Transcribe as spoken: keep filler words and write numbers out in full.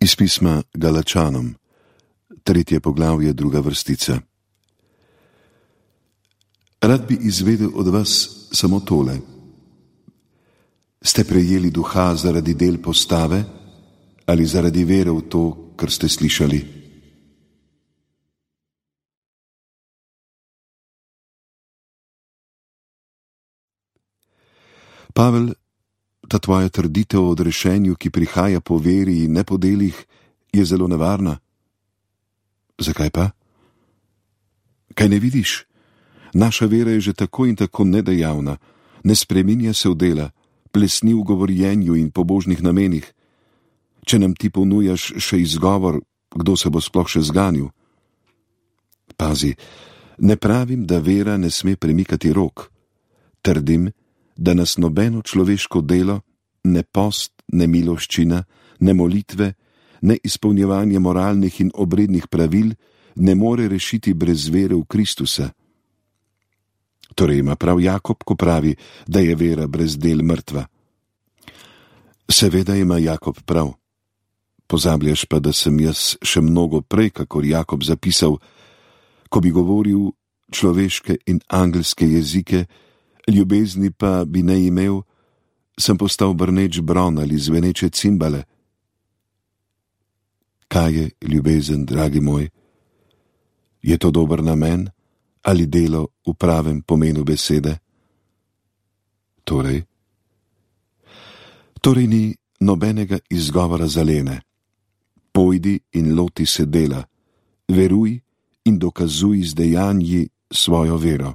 Iz pisma Galačanom, tretje poglavje, druga vrstica. Rad bi izvedel od vas samo tole. Ste prejeli duha zaradi del postave ali zaradi vere v to, kar ste slišali? Pavel, ta tvoja trditev o odrešenju, ki prihaja po veri in ne po delih, je zelo nevarna. Zakaj pa? Kaj ne vidiš? Naša vera je že tako in tako nedejavna, ne spreminja se v dela, plesni v govorjenju in pobožnih namenih. Če nam ti ponujaš še izgovor, kdo se bo sploh še zganil? Pazi, ne pravim, da vera ne sme premikati rok. Trdim, da nas nobeno človeško delo, ne post, ne miloščina, ne molitve, ne izpolnjevanje moralnih in obrednih pravil ne more rešiti brez vere v Kristusa. Torej ima prav Jakob, ko pravi, da je vera brez del mrtva. Seveda ima Jakob prav. Pozabljaš pa, da sem jaz še mnogo prej, kakor Jakob zapisal, ko bi govoril človeške in angelske jezike, ljubezni pa bi ne imel, sem postal brneč bron ali zveneče cimbale. Kaj je ljubezen, dragi moj? Je to dober namen ali delo v pravem pomenu besede? Torej? Torej ni nobenega izgovora za lene. Pojdi in loti se dela, veruj in dokazuj z dejanji svojo vero.